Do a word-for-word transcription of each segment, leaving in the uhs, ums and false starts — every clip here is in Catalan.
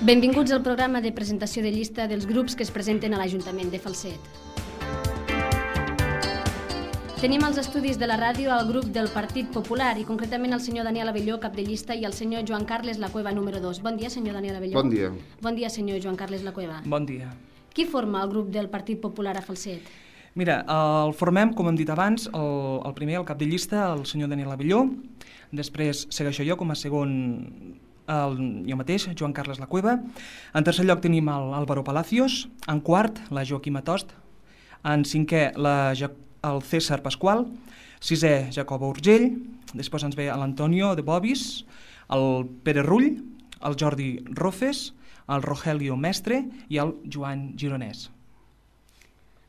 Benvinguts al programa de presentació de llista dels grups que es presenten a l'Ajuntament de Falset. Tenim als estudis de la ràdio el grup del Partit Popular i concretament el senyor Daniel Abelló, cap de llista, i el senyor Joan Carles Lacueva, número dos. Bon dia, senyor Daniel Abelló. Bon dia. Bon dia, senyor Joan Carles Lacueva. Bon dia. Qui forma el grup del Partit Popular a Falset? Mira, el formem, com hem dit abans, el, el primer, el cap de llista, el senyor Daniel Abelló, després segueixo jo com a segon, el, jo mateix, Joan Carles Lacueva. En tercer lloc tenim el Álvaro Palacios, en quart la Joaquima Tost, en cinquè la, el César Pasqual, sisè Jacobo Urgell, després ens ve l'Antonio de Bobis, el Pere Rull, el Jordi Rofes, el Rogelio Mestre i el Joan Gironès.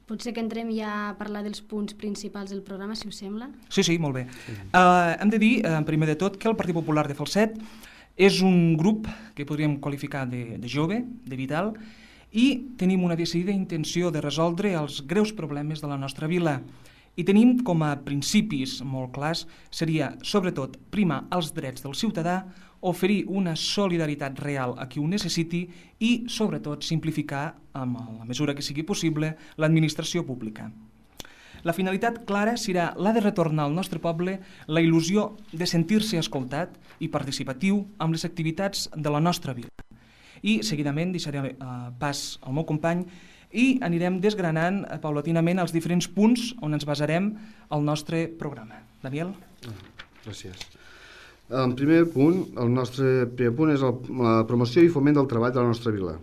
Potser que entrem ja a parlar dels punts principals del programa, si us sembla. Sí, sí, molt bé. Uh, hem de dir, uh, primer de tot, que el Partit Popular de Falset és un grup que podríem qualificar de, de jove, de vital, i tenim una decidida intenció de resoldre els greus problemes de la nostra vila. I tenim com a principis molt clars, seria sobretot primar els drets del ciutadà, oferir una solidaritat real a qui ho necessiti i, sobretot, simplificar, amb la mesura que sigui possible, l'administració pública. La finalitat clara serà la de retornar al nostre poble la il·lusió de sentir-se escoltat i participatiu amb les activitats de la nostra vila. I, seguidament, deixaré uh, pas al meu company i anirem desgranant uh, paulatinament els diferents punts on ens basarem al nostre programa. Daniel? Gràcies. El primer punt, el nostre primer punt és el, la promoció i foment del treball de la nostra vila,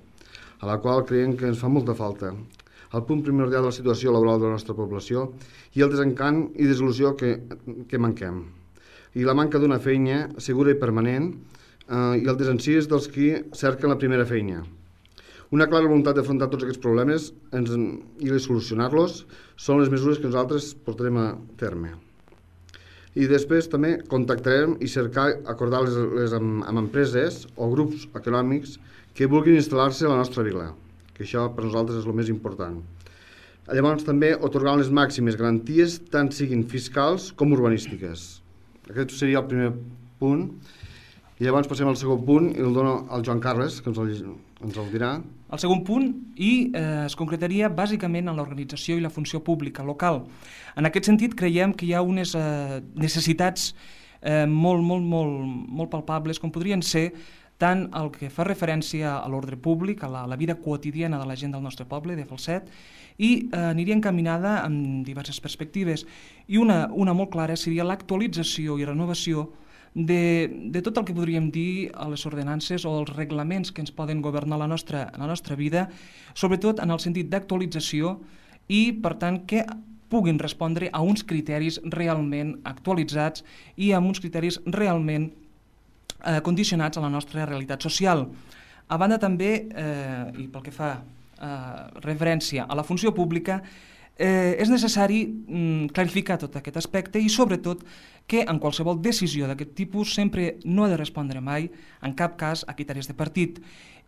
a la qual creiem que ens fa molta falta. El punt primordial de la situació laboral de la nostra població i el desencant i desil·lusió que, que manquem. I la manca d'una feina segura i permanent eh, i el desencís dels qui cerquen la primera feina. Una clara voluntat d'afrontar tots aquests problemes ens, i de solucionar-los són les mesures que nosaltres portarem a terme. I després també contactarem i cercar acordar les, les amb, amb empreses o grups econòmics que vulguin instal·lar-se a la nostra vila, que això per nosaltres és el més important. Llavors també atorgar les màximes garanties tant siguin fiscals com urbanístiques. Aquest seria el primer punt. I llavors passem al segon punt i el dono al Joan Carles, que ens el, ens el dirà. El segon punt i eh, es concretaria bàsicament en l'organització i la funció pública local. En aquest sentit creiem que hi ha unes eh, necessitats eh, molt, molt, molt, molt palpables com podrien ser tant el que fa referència a l'ordre públic, a la, a la vida quotidiana de la gent del nostre poble, de Falset, i eh, aniria encaminada en diverses perspectives. I una, una molt clara seria l'actualització i renovació De, de tot el que podríem dir a les ordenances o els reglaments que ens poden governar la nostra, la nostra vida, sobretot en el sentit d'actualització i, per tant, que puguin respondre a uns criteris realment actualitzats i a uns criteris realment eh, condicionats a la nostra realitat social. A banda també, eh, i pel que fa eh, referència a la funció pública, Eh, és necessari mm, clarificar tot aquest aspecte i sobretot que en qualsevol decisió d'aquest tipus sempre no ha de respondre mai, en cap cas, a criteris de partit.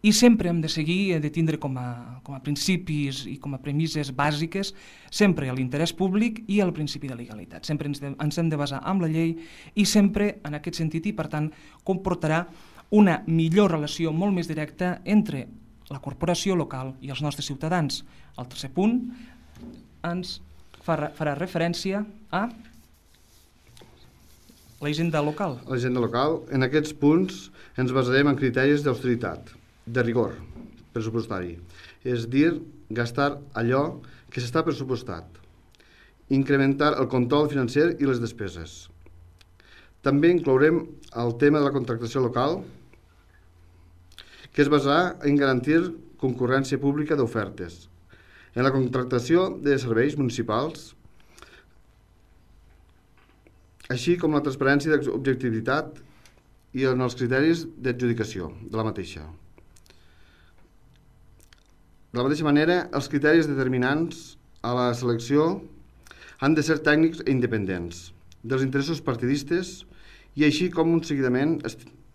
I sempre hem de seguir, de tindre com a, com a principis i com a premisses bàsiques sempre l'interès públic i el principi de legalitat. Sempre ens, de, ens hem de basar en la llei i sempre en aquest sentit i per tant comportarà una millor relació molt més directa entre la corporació local i els nostres ciutadans. El tercer punt ens farà, farà referència a l'agenda local. L'agenda local. En aquests punts ens basarem en criteris d'austeritat, de rigor pressupostari, és dir, gastar allò que s'està pressupostat, incrementar el control financer i les despeses. També inclourem el tema de la contractació local, que es basarà en garantir concurrència pública d'ofertes, en la contractació de serveis municipals, així com la transparència i objectivitat i en els criteris d'adjudicació de la mateixa. De la mateixa manera, els criteris determinants a la selecció han de ser tècnics i independents dels interessos partidistes i així com un seguiment,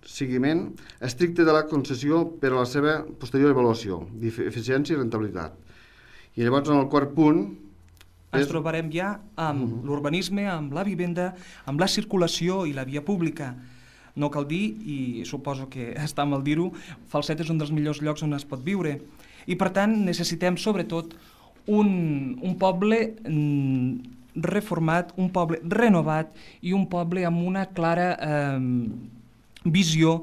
seguiment estricte de la concessió per a la seva posterior avaluació d'eficiència i rentabilitat. I llavors, en el quart punt... Ens és... trobarem ja amb uh-huh. l'urbanisme, amb la vivenda, amb la circulació i la via pública. no cal dir, i suposo que està mal dir-ho, Falset és un dels millors llocs on es pot viure. I per tant necessitem sobretot un, un poble mm, reformat, un poble renovat i un poble amb una clara eh, visió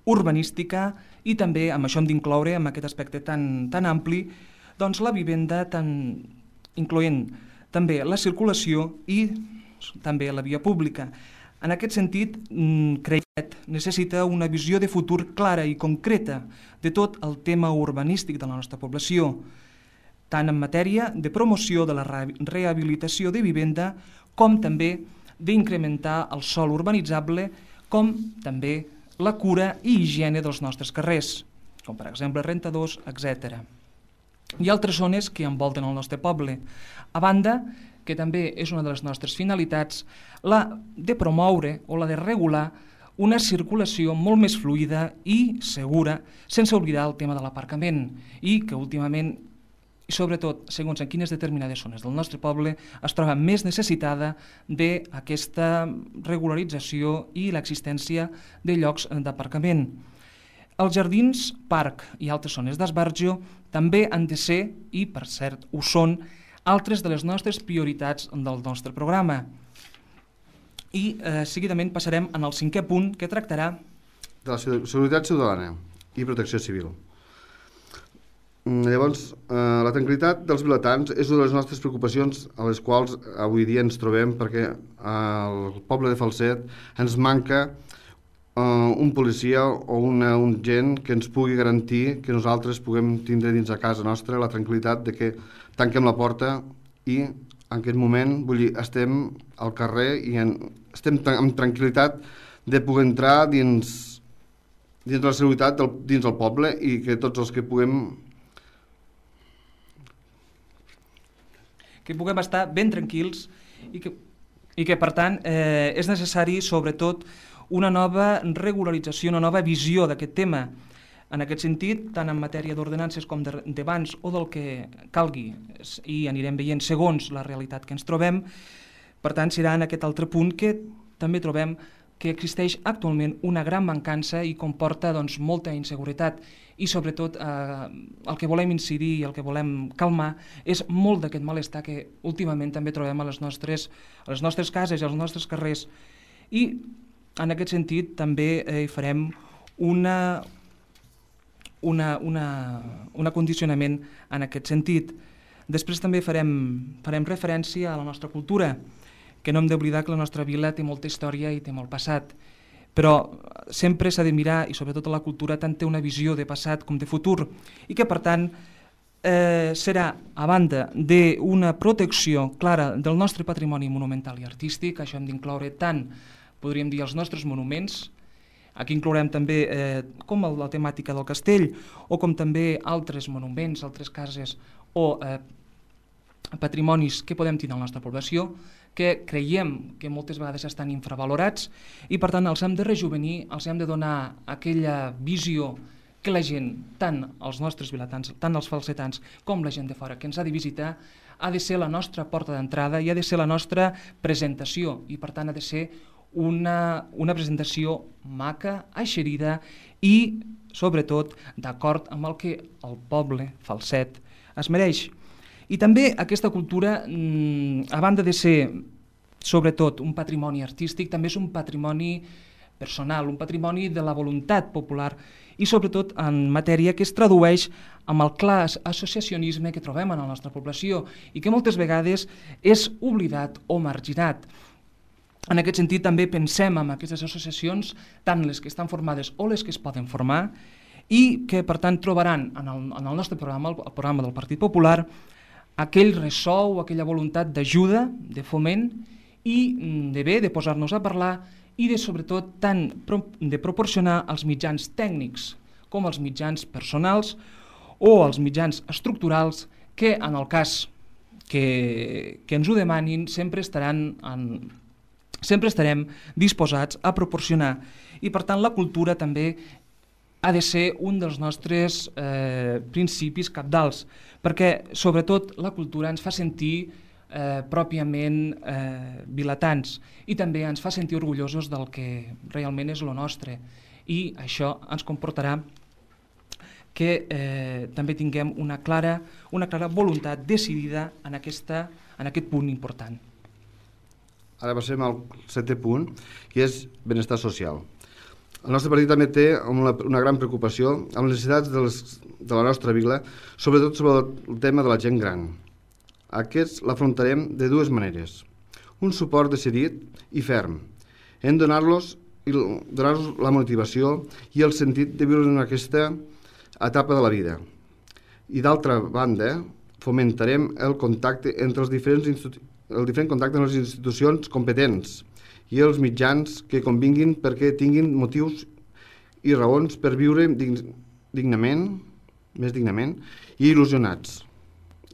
urbanística i també, amb això hem d'incloure, amb aquest aspecte tan, tan ampli, doncs la vivenda, tan, incloent també la circulació i també la via pública. En aquest sentit, creiem que necessita una visió de futur clara i concreta de tot el tema urbanístic de la nostra població, tant en matèria de promoció de la rehabilitació de vivenda com també d'incrementar el sòl urbanitzable, com també la cura i higiene dels nostres carrers, com per exemple rentadors, etcètera. Hi ha altres zones que envolten el nostre poble. A banda, que també és una de les nostres finalitats, la de promoure o la de regular una circulació molt més fluida i segura, sense oblidar el tema de l'aparcament, i que últimament, i sobretot segons en quines determinades zones del nostre poble, es troba més necessitada d'aquesta regularització i l'existència de llocs d'aparcament. Els jardins, parc i altres zones d'esbarjo també han de ser, i per cert ho són, altres de les nostres prioritats del nostre programa. I eh, seguidament passarem en el cinquè punt, que tractarà de la seguretat ciutadana i protecció civil. Llavors, eh, la tranquil·litat dels vilatans és una de les nostres preocupacions a les quals avui dia ens trobem, perquè al poble de Falset ens manca eh, un policia o una, un gent que ens pugui garantir que nosaltres puguem tindre dins a casa nostra la tranquil·litat de que tanquem la porta i en aquest moment, vull dir, estem al carrer i en, estem amb tranquil·litat de poder entrar dins, dins la seguretat del, dins el poble i que tots els que puguem que puguem estar ben tranquils i que, i que per tant eh, és necessari sobretot una nova regularització, una nova visió d'aquest tema. En aquest sentit, tant en matèria d'ordenances com de, de bans o del que calgui, i anirem veient segons la realitat que ens trobem, per tant serà en aquest altre punt que també trobem que existeix actualment una gran mancança i comporta doncs, molta inseguretat. I sobretot eh, el que volem incidir i el que volem calmar és molt d'aquest malestar que últimament també trobem a les nostres, a les nostres cases i als nostres carrers. I en aquest sentit també eh, farem una, una, una, un acondicionament en aquest sentit. Després també farem, farem referència a la nostra cultura, que no hem d'oblidar que la nostra vila té molta història i té molt passat. Però sempre s'ha de mirar, i sobretot la cultura tant té una visió de passat com de futur, i que per tant eh, serà, a banda d'una protecció clara del nostre patrimoni monumental i artístic, això hem d'incloure tant, podríem dir, els nostres monuments, aquí inclourem també eh, com la temàtica del castell, o com també altres monuments, altres cases o eh, patrimonis que podem tenir a la nostra població, que creiem que moltes vegades estan infravalorats i per tant els hem de rejuvenir, els hem de donar aquella visió que la gent, tant els nostres vilatans, tant els falsetans com la gent de fora que ens ha de visitar, ha de ser la nostra porta d'entrada i ha de ser la nostra presentació i per tant ha de ser una, una presentació maca, eixerida i sobretot d'acord amb el que el poble falset es mereix. I també aquesta cultura, a banda de ser sobretot un patrimoni artístic, també és un patrimoni personal, un patrimoni de la voluntat popular i sobretot en matèria que es tradueix amb el clar associacionisme que trobem en la nostra població i que moltes vegades és oblidat o marginat. En aquest sentit també pensem en aquestes associacions, tant les que estan formades o les que es poden formar i que per tant trobaran en el, en el nostre programa, el programa del Partit Popular, aquell ressò o aquella voluntat d'ajuda, de foment i de bé, de posar-nos a parlar i de sobretot tant de proporcionar els mitjans tècnics com els mitjans personals o els mitjans estructurals que en el cas que, que ens ho demanin sempre estaran en, sempre estarem disposats a proporcionar. I per tant la cultura també ha de ser un dels nostres eh, principis cabdals, perquè sobretot la cultura ens fa sentir eh, pròpiament eh, vilatans, i també ens fa sentir orgullosos del que realment és lo nostre, i això ens comportarà que eh, també tinguem una clara, una clara voluntat decidida en, aquesta, en aquest punt important. Ara passem al setè punt, que és benestar social. El nostre partit també té una, una gran preocupació amb les necessitats de, les, de la nostra vila, sobretot sobre el tema de la gent gran. Aquests l'afrontarem de dues maneres. Un suport decidit i ferm. Hem de donar-los donar-los la motivació i el sentit de viure en aquesta etapa de la vida. I d'altra banda, fomentarem el contacte entre els diferents institu- el diferent contacte amb les institucions competents i els mitjans que convinguin perquè tinguin motius i raons per viure dignament, més dignament, i il·lusionats.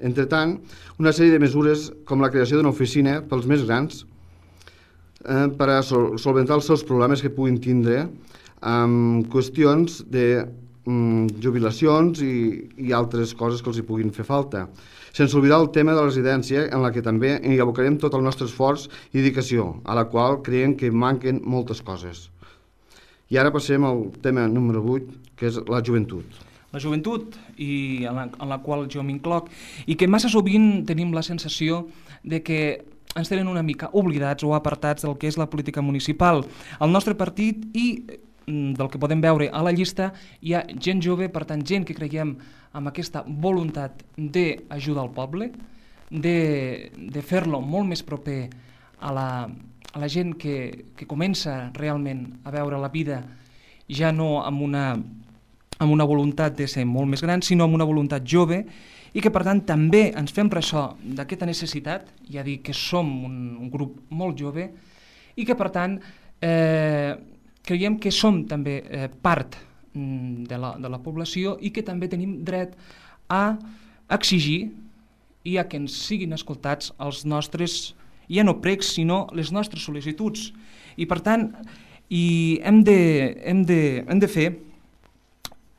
Entre tant, una sèrie de mesures com la creació d'una oficina pels més grans eh, per a sol solventar els seus problemes que puguin tindre amb qüestions de mm, jubilacions i, i altres coses que els hi puguin fer falta. Sense oblidar el tema de la residència, en la que també hi abocarem tot el nostre esforç i dedicació, a la qual creiem que manquen moltes coses. I ara passem al tema número vuit, que és la joventut. La joventut, i en la, en la qual jo m'incloc, i que massa sovint tenim la sensació de que ens tenen una mica oblidats o apartats del que és la política municipal. Al nostre partit, i del que podem veure a la llista, hi ha gent jove, per tant, gent que creiem amb aquesta voluntat d'ajudar al poble, de, de fer-lo molt més proper a la, a la gent que, que comença realment a veure la vida ja no amb una, amb una voluntat de ser molt més gran, sinó amb una voluntat jove, i que per tant també ens fem ressò d'aquesta necessitat, ja dic que som un, un grup molt jove, i que per tant eh, creiem que som també eh, part de la, de la població i que també tenim dret a exigir i a que ens siguin escoltats els nostres, ja no pregs, sinó les nostres sol·licituds. I per tant, i hem, de, hem, de, hem de fer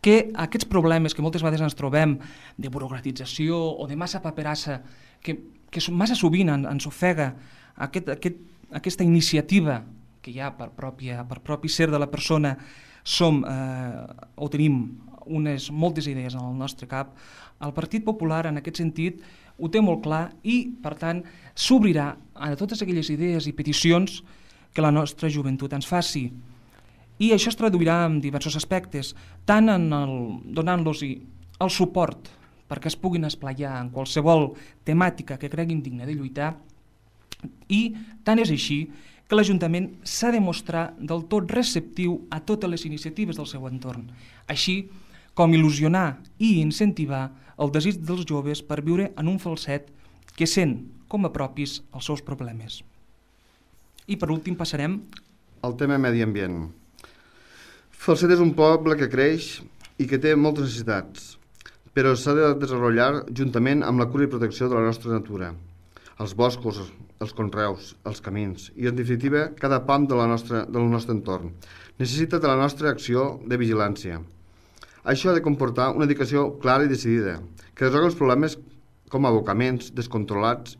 que aquests problemes que moltes vegades ens trobem de burocratització o de massa paperassa, que, que massa sovint ens ofega aquest, aquest, aquesta iniciativa que hi ha per, pròpia, per propi ser de la persona, som eh, o tenim unes moltes idees en el nostre cap. El Partit Popular en aquest sentit ho té molt clar i per tant s'obrirà a totes aquelles idees i peticions que la nostra joventut ens faci. I això es traduirà en diversos aspectes, tant en el, donant-los el suport perquè es puguin esplaiar en qualsevol temàtica que creguin digna de lluitar, i tant és així que l'Ajuntament s'ha de mostrar del tot receptiu a totes les iniciatives del seu entorn, així com il·lusionar i incentivar el desig dels joves per viure en un falset que sent com a propis els seus problemes. I per últim passarem al tema medi ambient. Falset és un poble que creix i que té moltes necessitats, però s'ha de desenvolupar juntament amb la cura i protecció de la nostra natura, els boscos, els conreus, els camins i, en definitiva, cada pam de la nostra, del nostre entorn. Necessita de la nostra acció de vigilància. Això ha de comportar una dedicació clara i decidida, que resolgui els problemes com abocaments descontrolats,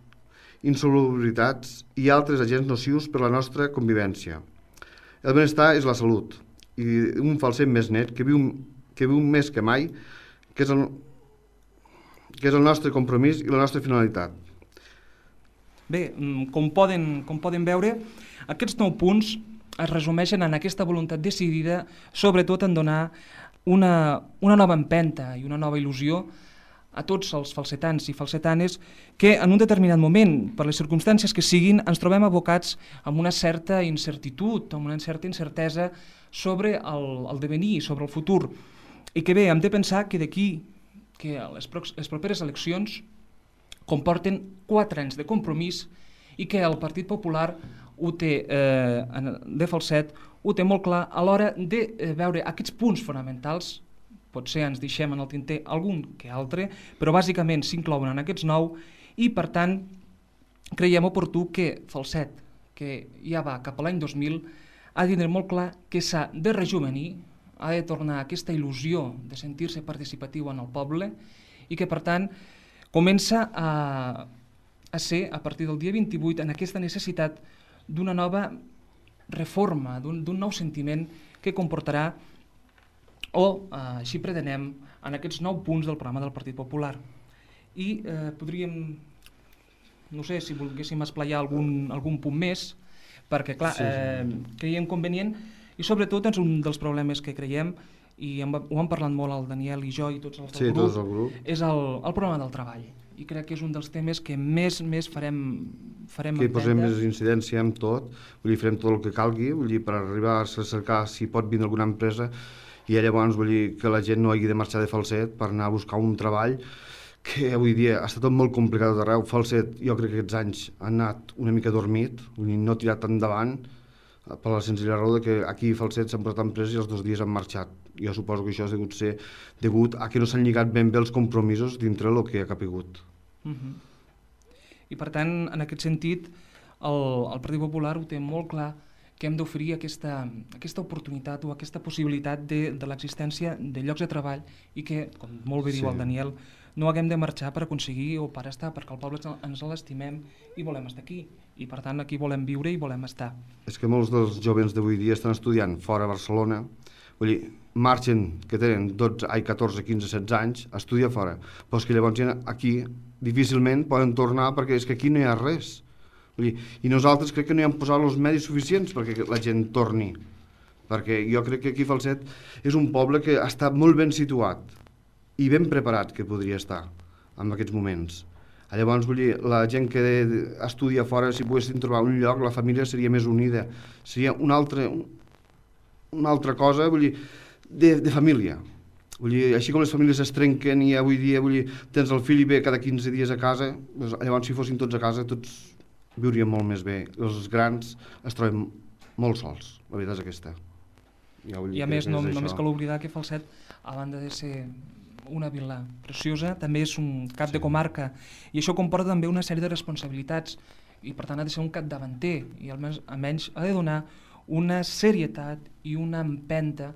insolubilitats i altres agents nocius per a la nostra convivència. El benestar és la salut, i un falset més net que viu, que viu més que mai, que és, el, que és el nostre compromís i la nostra finalitat. Bé, com poden, com poden veure, aquests nou punts es resumeixen en aquesta voluntat decidida, sobretot en donar una, una nova empenta i una nova il·lusió a tots els falsetans i falsetanes que en un determinat moment, per les circumstàncies que siguin, ens trobem abocats amb una certa incertitud, amb una certa incertesa sobre el, el devenir, sobre el futur. I que bé, hem de pensar que d'aquí, que les, pro les properes eleccions comporten quatre anys de compromís i que el Partit Popular ho té, eh, de falset, ho té molt clar a l'hora de eh, veure aquests punts fonamentals. Potser ens deixem en el tinter algun que altre, però bàsicament s'inclouen en aquests nou i, per tant, creiem oportú que Falset, que ja va cap a l'any dos mil, ha de tindre molt clar que s'ha de rejuvenir, ha de tornar a aquesta il·lusió de sentir-se participatiu en el poble i que, per tant, comença a a ser, a partir del dia vint-i-vuit, en aquesta necessitat d'una nova reforma, d'un nou sentiment que comportarà, o eh, així pretenem, en aquests nou punts del programa del Partit Popular. I eh, podríem, no sé si volguéssim esplaiar algun, algun punt més, perquè, clar, sí, sí. Eh, creiem convenient, i sobretot és un dels problemes que creiem, i hem, ho hem parlat molt el Daniel i jo i tots els del sí, grup, tots el grup, és el, el problema del treball. I crec que és un dels temes que més més farem farem que hi posem més incidència en tot, vull dir, farem tot el que calgui, vull dir, per arribar a cercar si pot vindre alguna empresa, i llavors vull dir que la gent no hagi de marxar de Falset per anar a buscar un treball, que avui dia ha estat tot molt complicat d'arreu. Falset, jo crec que aquests anys ha anat una mica dormit, vull dir, no ha tirat endavant, per la senzilla raó que aquí a Falset s'han posat empreses i els dos dies han marxat. Jo suposo que això ha degut ser degut a que no s'han lligat ben bé els compromisos dintre el que ha capigut. Uh-huh. I per tant, en aquest sentit, el, el Partit Popular ho té molt clar, que hem d'oferir aquesta, aquesta oportunitat o aquesta possibilitat de, de l'existència de llocs de treball i que, com molt bé sí. diu el Daniel, no haguem de marxar per aconseguir o per estar, perquè el poble ens l'estimem i volem estar aquí. I per tant aquí volem viure i volem estar. És que molts dels jovens d'avui dia estan estudiant fora de Barcelona, vull dir, marxen, que tenen dotze, ai, catorze, quinze, setze anys, a estudiar fora, però és que llavors aquí difícilment poden tornar perquè és que aquí no hi ha res. Vull dir, i nosaltres crec que no hi hem posat els medis suficients perquè la gent torni, perquè jo crec que aquí Falset és un poble que està molt ben situat i ben preparat que podria estar en aquests moments. Llavors, vull dir, la gent que estudia fora, si poguessin trobar un lloc, la família seria més unida, seria una altra, una altra cosa, vull dir, de, de família. Vull dir, així com les famílies es trenquen i avui dia, vull dir, tens el fill i ve cada quinze dies a casa, doncs, llavors si fossin tots a casa, tots viurien molt més bé. Els grans es troben molt sols, la veritat és aquesta. Ja I a més, no, només cal oblidar que Falset, a banda de ser una vila preciosa, també és un cap sí. de comarca, i això comporta també una sèrie de responsabilitats, i per tant ha de ser un capdavanter, i almenys, almenys ha de donar una serietat i una empenta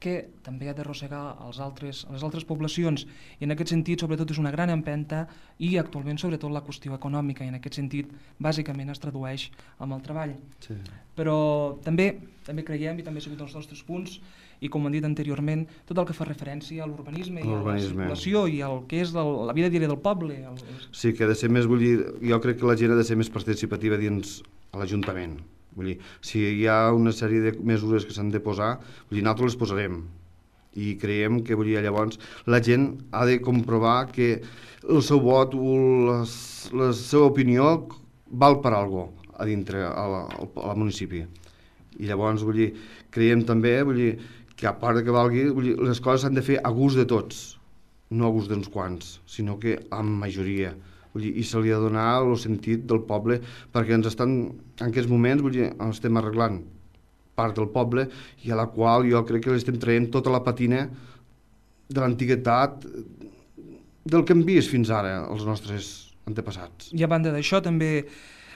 que també ha d'arrossegar als altres, a les altres poblacions, i en aquest sentit sobretot és una gran empenta, i actualment sobretot la qüestió econòmica, i en aquest sentit bàsicament es tradueix amb el treball. Sí. Però també també creiem, i també ha sigut els nostres punts, i com hem dit anteriorment, tot el que fa referència a l'urbanisme i a la circulació i al que és el, la vida diària del poble. El... Sí, que ha de ser més, vull dir, jo crec que la gent ha de ser més participativa dins l'Ajuntament. Vull dir, si hi ha una sèrie de mesures que s'han de posar, vull dir, nosaltres les posarem. I creiem que, vull dir, llavors la gent ha de comprovar que el seu vot o les, la seva opinió val per alguna cosa a dintre al municipi. I llavors, vull dir, creiem també, vull dir, que a part que valgui, vull dir, les coses s'han de fer a gust de tots, no a gust d'uns quants, sinó que amb majoria. Vull dir, i se li ha de donar el sentit del poble, perquè ens estan, en aquests moments, vull dir, estem arreglant part del poble i a la qual jo crec que l'estem traient tota la patina de l'antiguitat del que hem vist fins ara els nostres antepassats. I a banda d'això també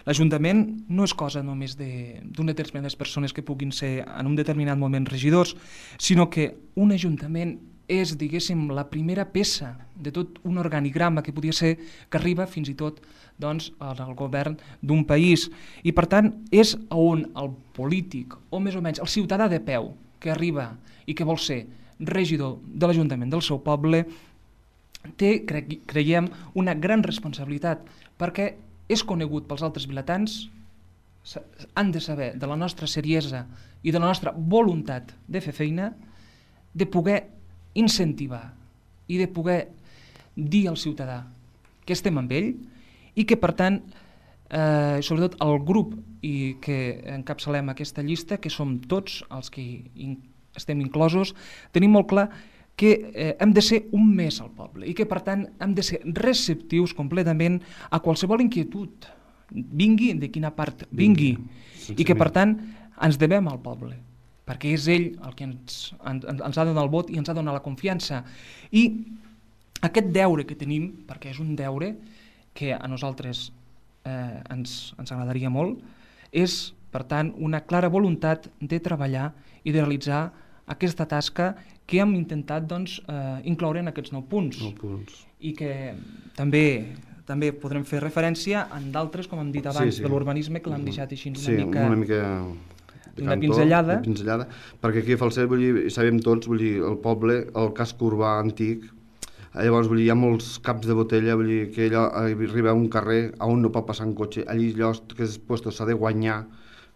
l'Ajuntament no és cosa només d'unes determinades persones que puguin ser en un determinat moment regidors, sinó que un Ajuntament és, diguéssim, la primera peça de tot un organigrama que podia ser que arriba fins i tot doncs, al govern d'un país. I per tant és on el polític, o més o menys el ciutadà de peu que arriba i que vol ser regidor de l'Ajuntament del seu poble, té, cre creiem, una gran responsabilitat, perquè és conegut pels altres vilatans, han de saber de la nostra seriesa i de la nostra voluntat de fer feina, de poder incentivar i de poder dir al ciutadà que estem amb ell i que, per tant, eh, sobretot el grup i que encapçalem aquesta llista, que som tots els que in estem inclosos, tenim molt clar que eh, hem de ser un més al poble i que, per tant, hem de ser receptius completament a qualsevol inquietud, vingui de quina part vingui, vingui. I que, per tant, ens devem al poble, perquè és ell el que ens, ens, ens ha de donar el vot i ens ha de donar la confiança. I aquest deure que tenim, perquè és un deure que a nosaltres eh, ens, ens agradaria molt, és, per tant, una clara voluntat de treballar i de realitzar aquesta tasca que hem intentat doncs, eh, incloure en aquests nou punts. Nou punts. I que també també podrem fer referència en d'altres, com hem dit abans, sí, sí. de l'urbanisme, que l'hem deixat així una sí, mica... una mica... Una pinzellada. Una pinzellada, perquè aquí a Falset, vull dir, sabem tots, vull dir, el poble, el casc urbà antic, llavors, vull dir, hi ha molts caps de botella, vull dir, que allò arriba a un carrer on no pot passar un cotxe, allí allò que és puesto s'ha de guanyar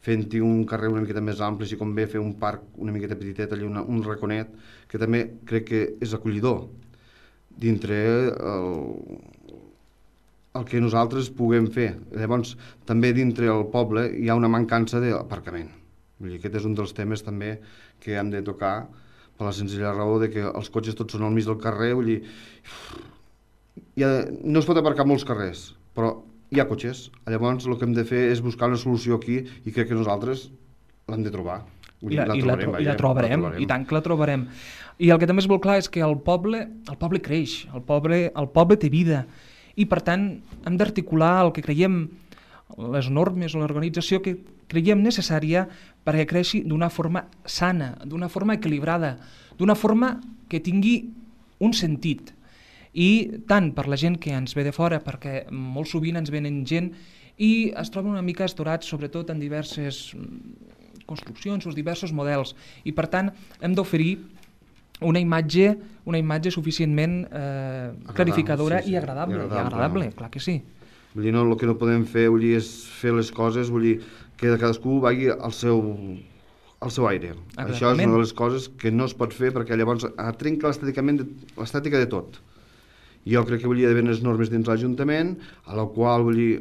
fent-hi un carrer una miqueta més ampli, si convé fer un parc una miqueta petitet, allà una, un raconet, que també crec que és acollidor dintre el, el que nosaltres puguem fer. Llavors, també dintre el poble hi ha una mancança d'aparcament. Vull dir, aquest és un dels temes també que hem de tocar per la senzilla raó de que els cotxes tots són al mig del carrer, vull dir, ha, no es pot aparcar molts carrers, però hi ha cotxes. Llavors el que hem de fer és buscar una solució aquí i crec que nosaltres l'hem de trobar. Vull dir, I la, la, i, trobarem, la, tro vaja, i la trobarem, la trobarem, i tant que la trobarem. I el que també és molt clar és que el poble, el poble creix, el poble, el poble té vida, i per tant hem d'articular el que creiem, les normes o l'organització que creiem necessària perquè creixi d'una forma sana, d'una forma equilibrada, d'una forma que tingui un sentit. I tant per la gent que ens ve de fora, perquè molt sovint ens venen gent i es troben una mica estorats, sobretot en diverses construccions o diversos models. I per tant hem d'oferir una imatge, una imatge suficientment eh, clarificadora sí, sí. i agradable. I agradable, i agradable no? Clar que sí. Vull dir, no, el que no podem fer vull dir, és fer les coses, vull dir, que cadascú vagi al seu, al seu aire. Exactament. Això és una de les coses que no es pot fer perquè llavors trenca l'estètica de tot. Jo crec que vull dir, hi ha d'haver unes normes dins l'Ajuntament, a la qual vull dir,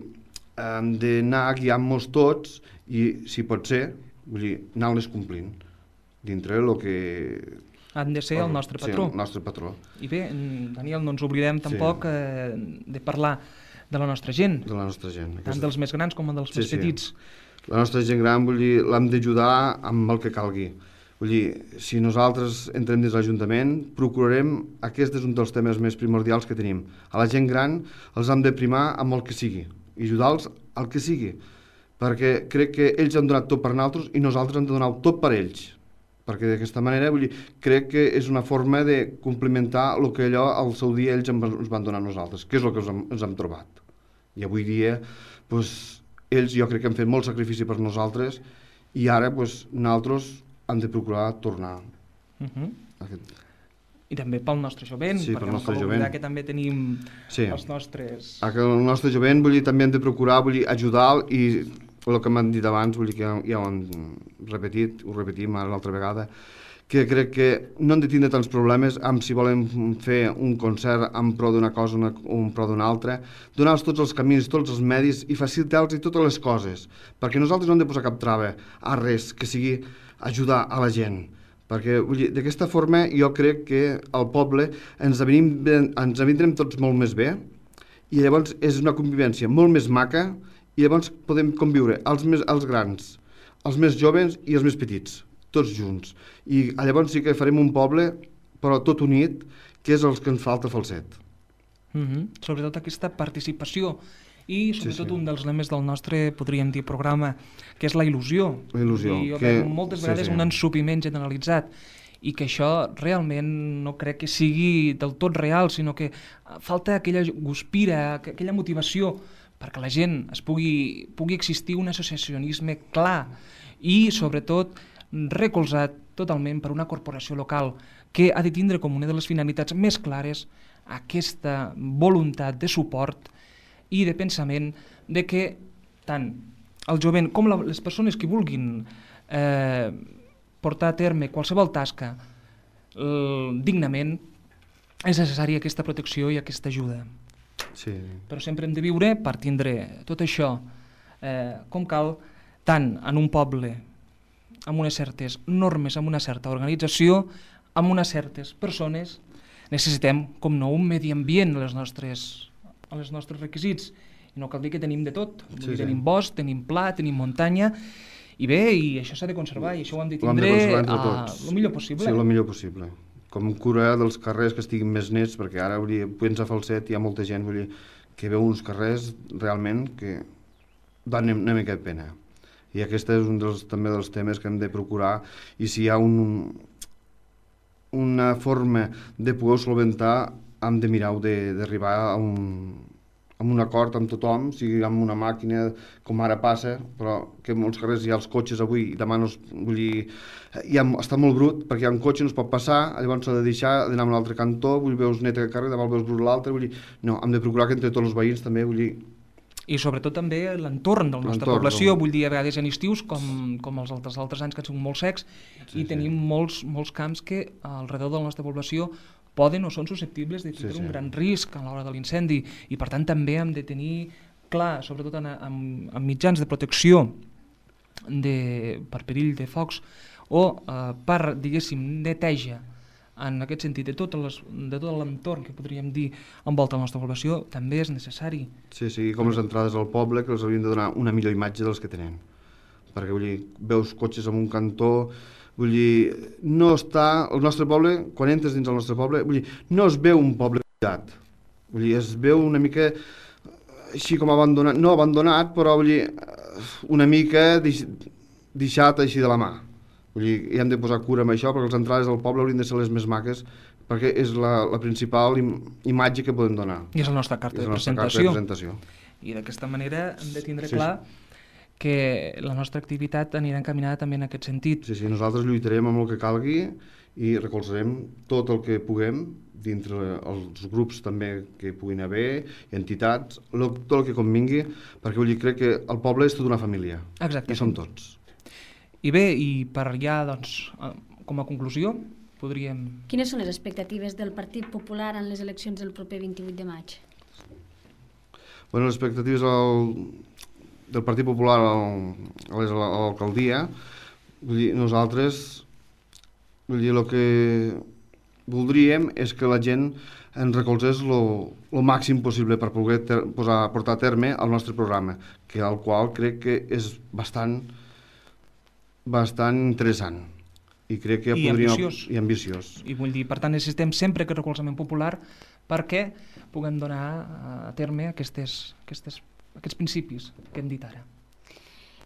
hem d'anar guiant-nos tots i, si pot ser, vull dir, anar-les complint dintre el que... Han de ser el nostre patró. Sí, el nostre patró. I bé, Daniel, no ens oblidem tampoc sí. eh, de parlar de la nostra gent, de la nostra gent. Tant dels més grans com dels sí, més petits. Sí. La nostra gent gran, vull dir, l'hem d'ajudar amb el que calgui. Vull dir, si nosaltres entrem dins l'Ajuntament, procurarem, aquest és un dels temes més primordials que tenim. A la gent gran els hem de primar amb el que sigui, i ajudar-los al que sigui, perquè crec que ells han donat tot per nosaltres i nosaltres hem de donar tot per ells. Perquè d'aquesta manera, vull dir, crec que és una forma de complementar el que allò al seu dia ells ens van donar a nosaltres, que és el que ens hem, ens hem trobat. I avui dia, doncs, ells jo crec que han fet molt sacrifici per nosaltres i ara, doncs, nosaltres hem de procurar tornar. Uh-huh. Aquest... I també pel nostre jovent, sí, perquè no cal oblidar que també tenim sí. els nostres... El nostre jovent, vull dir, també hem de procurar, vull dir, ajudar i el que m'han dit abans, vull dir que ja ho han repetit, ho repetim ara l'altra vegada, que crec que no hem de tindre tants problemes amb si volem fer un concert en pro d'una cosa o en pro d'una altra, donar-los tots els camins, tots els medis i facilitar-los totes les coses, perquè nosaltres no hem de posar cap trava a res que sigui ajudar a la gent, perquè d'aquesta forma jo crec que al poble ens avenim, ens avindrem tots molt més bé i llavors és una convivència molt més maca i llavors podem conviure els, més, els grans, els més joves i els més petits, tots junts. I llavors sí que farem un poble, però tot unit, que és el que ens falta a Falset. Mm-hmm. Sobretot aquesta participació i sobretot sí, sí. un dels lemes del nostre, podríem dir, programa, que és la il·lusió. La il·lusió. I jo que... veig moltes vegades sí, sí. un ensupiment generalitzat i que això realment no crec que sigui del tot real, sinó que falta aquella guspira, aquella motivació perquè la gent es pugui, pugui existir un associacionisme clar i sobretot recolzat totalment per una corporació local que ha de tindre com una de les finalitats més clares aquesta voluntat de suport i de pensament de que tant el jovent com la, les persones que vulguin eh, portar a terme qualsevol tasca eh, dignament és necessària aquesta protecció i aquesta ajuda. Sí. Però sempre hem de viure per tindre tot això eh, com cal, tant en un poble amb unes certes normes, amb una certa organització, amb unes certes persones. Necessitem, com no, un medi ambient a les nostres, a les nostres requisits. I no cal dir que tenim de tot. Sí, sí. Tenim bosc, tenim pla, tenim muntanya, i bé, i això s'ha de conservar, i això ho hem de tindre el millor possible. Sí, el millor possible. Com cura dels carrers que estiguin més nets, perquè ara, vull dir, a Falset hi ha molta gent, vull dir, que veu uns carrers realment que dan una mica de pena. I aquest és un dels, també dels temes que hem de procurar, i si hi ha un, una forma de poder solventar, hem de mirar d'arribar a, un, a amb un acord amb tothom, sigui amb una màquina, com ara passa, però que en molts carrers hi ha els cotxes avui i demà no es... Vull dir, ja està molt brut, perquè hi ha un cotxe, no es pot passar, llavors s'ha de deixar d'anar a un altre cantó, vull veus net a carrer, demà el veus brut l'altre, vull dir, no, hem de procurar que entre tots els veïns també, vull dir... I sobretot també l'entorn de la nostra població, vull dir, a vegades en estius, com, com els altres, altres anys que han sigut molt secs, sí, i tenim sí. molts, molts camps que al redor de la nostra població poden o són susceptibles de tenir sí, sí. un gran risc a l'hora de l'incendi, i per tant també hem de tenir clar, sobretot en, en, en mitjans de protecció de, per perill de focs o eh, per, diguéssim, neteja en aquest sentit de tot, les, de tot l'entorn que podríem dir envolta la nostra població, també és necessari. Sí, sí, com les entrades al poble, que els haurien de donar una millor imatge dels que tenen, perquè vull dir, veus cotxes en un cantó. Vull dir, no està... El nostre poble, quan entres dins el nostre poble, vull dir, no es veu un poble cuidat. Vull dir, es veu una mica així com abandonat, no abandonat, però vull dir, una mica deix, deixat així de la mà. Vull dir, hi hem de posar cura amb això, perquè les entrades del poble haurien de ser les més maques, perquè és la, la principal im, imatge que podem donar. I és la nostra carta, de, la nostra presentació. carta de presentació. I d'aquesta manera hem de tindre sí, clar... Sí. que la nostra activitat anirà encaminada també en aquest sentit. Sí, sí, nosaltres lluitarem amb el que calgui i recolzarem tot el que puguem dintre els grups també que puguin haver, entitats, tot el que convingui, perquè vull dir, crec que el poble és tota una família. Exacte. I som tots. I bé, i per allà, doncs, com a conclusió, podríem... Quines són les expectatives del Partit Popular en les eleccions del proper vint-i-vuit de maig? Bueno, les expectatives al... del Partit Popular a l'alcaldia, vull dir, nosaltres, vull dir, el que voldríem és que la gent ens recolzés el màxim possible per poder ter, posar, portar a terme el nostre programa, que al qual crec que és bastant, bastant interessant. I crec que I podríem... ambiciós. I ambiciós. I vull dir, per tant, necessitem sempre aquest recolzament popular perquè puguem donar a terme aquestes, aquestes aquests principis que hem dit ara.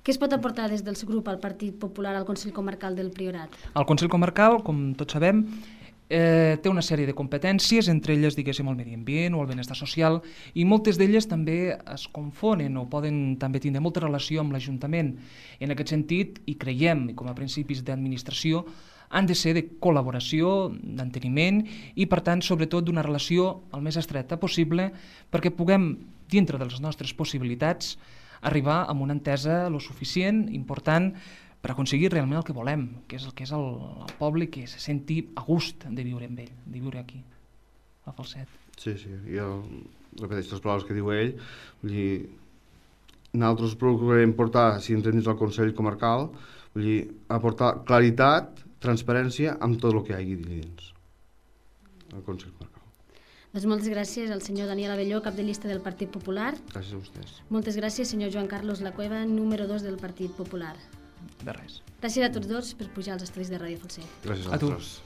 Què es pot aportar des del seu grup al Partit Popular al Consell Comarcal del Priorat? El Consell Comarcal, com tots sabem, eh, té una sèrie de competències, entre elles, diguéssim, el medi ambient o el benestar social, i moltes d'elles també es confonen o poden també tindre molta relació amb l'Ajuntament. En aquest sentit, i creiem, com a principis d'administració, han de ser de col·laboració, d'enteniment i, per tant, sobretot d'una relació el més estreta possible perquè puguem, dintre de les nostres possibilitats, arribar a una entesa lo suficient, important, per aconseguir realment el que volem, que és el que és el, el poble que se senti a gust de viure amb ell, de viure aquí, a Falset. Sí, sí, jo repeteixo les paraules que diu ell, vull dir, nosaltres procurarem portar, si entrem dins el Consell Comarcal, vull dir, aportar claritat, transparència amb tot el que hi hagi dins el Consell Comarcal. Doncs moltes gràcies al senyor Daniel Abelló, cap de llista del Partit Popular. Gràcies a vostès. Moltes gràcies, senyor Joan Carlos Lacueva, número dos del Partit Popular. De res. Gràcies a tots dos per pujar als estudis de Ràdio Falset. Gràcies a, a vosaltres.